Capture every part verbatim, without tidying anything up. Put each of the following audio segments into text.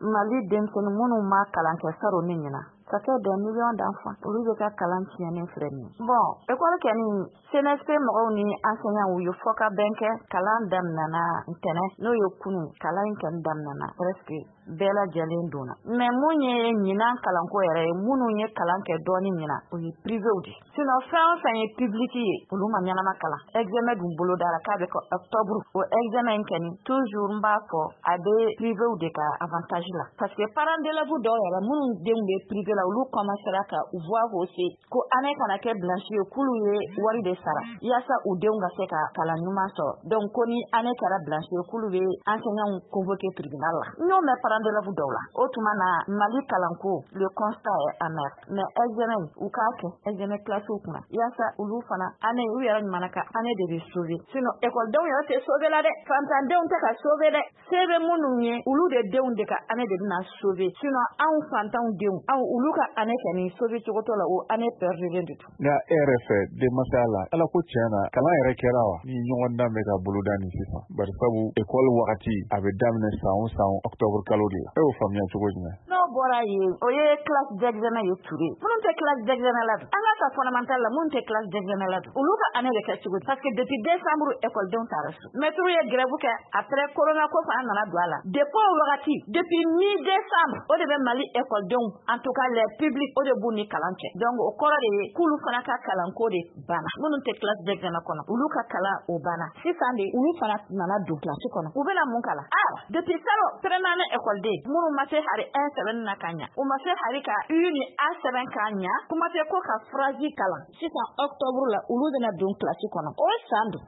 Mali denmisɛnnin minnu ma kalan kɛ salon ni ɲinan, ça fait des millions d'enfants, olu bɛ ka kalan tiɲɛnen filɛ nin ye. Bon, école kɛni, C N S P mɔgɔw ni enseignants, u ye fɔ ka bɛn kɛ. Kalan daminɛna ntɛnɛn, n'o ye kunu. Kalan in kɔni daminɛna, presque bɛɛ lajɛlen donna. Mais mun ye ɲinan kalanko yɛrɛ ye, minnu ye kalan kɛ dɔɔni ɲinan, o ye privéw de. Sinon fɛn o fɛn ye public ye, olu ma ɲɛnama kalan. Examen dun bolodara k'a bɛ kɛ octobre. O examen in kɔni, toujours n b'a fɔ, a bɛ privéw de ka avantage la, parce que parents d'élèves dɔw yɛrɛ minnu denw bɛ privé la, olu commencera ka voix hausser ko année kana kɛ blanche ye, k'olu ye wari de sara yaasa u denw ka se ka kalan ɲuman sɔrɔ. Donc ko ni année kɛra blanche ye, k'olu bɛ enseignants convoquer tribunal la. N y'o mɛn parents d'élèves dɔw la. O tuma na, Mali kalanko, le constat est amer. Mais examen, u k'a kɛ examen classe kunna yaasa olu fana année, u yɛrɛ ɲuman ka année de bɛ sauver. Sinon école denw yɛrɛ tɛ sauver la dɛ, fantandenw tɛ ka sauver dɛ. Se bɛ minnu ye, olu de denw de ka année de bɛna sauver. Sinon anw fantanw denw, anw, olu ka année kɔni sauver cogo t'o la, o année perdulen de don. Nka e yɛrɛ fɛ, denmasaya la, ala ko tiɲɛ na, kalan yɛrɛ kɛra wa ni ɲɔgɔn dan bɛ ka boloda nin sisan? Bari sabu école wagati a bɛ daminɛ san o san octobre kalo de la. E y'o faamuya cogo jumɛn? N'o bɔra yen, o ye classe d'examen ye. Ture minnu tɛ classe d'examen la dun, an ka ta fondamental la, minnu tɛ classe d'examen la dun, olu ka année bɛ kɛ cogo di? Parce que depuis décembre, école denw taara so, maître ye grève kɛ. Après, corona ko fana nana don a la. Depuis o wagati, depuis mi décembre, o de bɛ Mali école denw, en tout cas les publics, o de b'u ni kalan cɛ. Donc o kɔrɔ de ye k'olu fana ka kalanko de banna. Minnu tɛ classe d'examen kɔnɔ, olu ka kalan o banna. Sisan de, olu fana nana don classe kɔnɔ, u bɛna mun kalan? Ah, depuis salon, première année école den minnu ma se hari un sɛbɛnni na ka ɲa, u ma se hari ka U ni A sɛbɛn k'a ɲa, kuma tɛ ko ka phrase kalan. Sisan octobre la, olu bɛna don classe kɔnɔ. O san dun,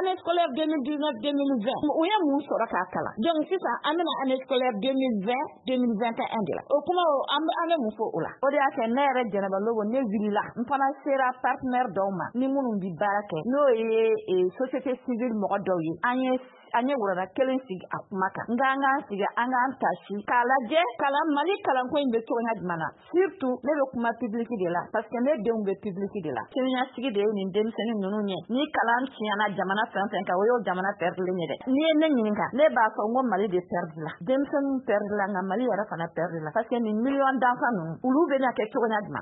année scolaire deux mille dix-neuf deux mille vingt, u ye mun sɔrɔ k'a kalan? Donc sisan an bɛna année scolaire deux mille vingt deux mille vingt et un de la. O kuma o, an bɛ an bɛ mun fɔ o la? O de y'a kɛ ne yɛrɛ Jɛnɛba Lobo, ne wulila, n fana sera partenaire dɔw ma ni minnu bi baara kɛ, n'o ye société civile mɔgɔ dɔw ye. An ye an ye wurada kelen sigi a kuma kan. Nka an k'an sigi, an k'an tasi k'a lajɛ kalan, Mali kalanko in bɛ cogoya jumɛn na. Surtout ne bɛ kuma public de la, parce que ne denw bɛ public de la. Siniɲɛsigi de ye nin denmisɛnnin ninnu ye. Ni kalan tiɲɛna jamana fɛn fɛn kan, o y'o jamana perdulen ye dɛ. N'i ye ne ɲininka, ne b'a fɔ n ko Mali de perdu la, denmisɛnninw perdu la, nka Mali yɛrɛ fana perdu la, parce que nin million d'enfants ninnu, olu bɛna kɛ cogoya jumɛn na?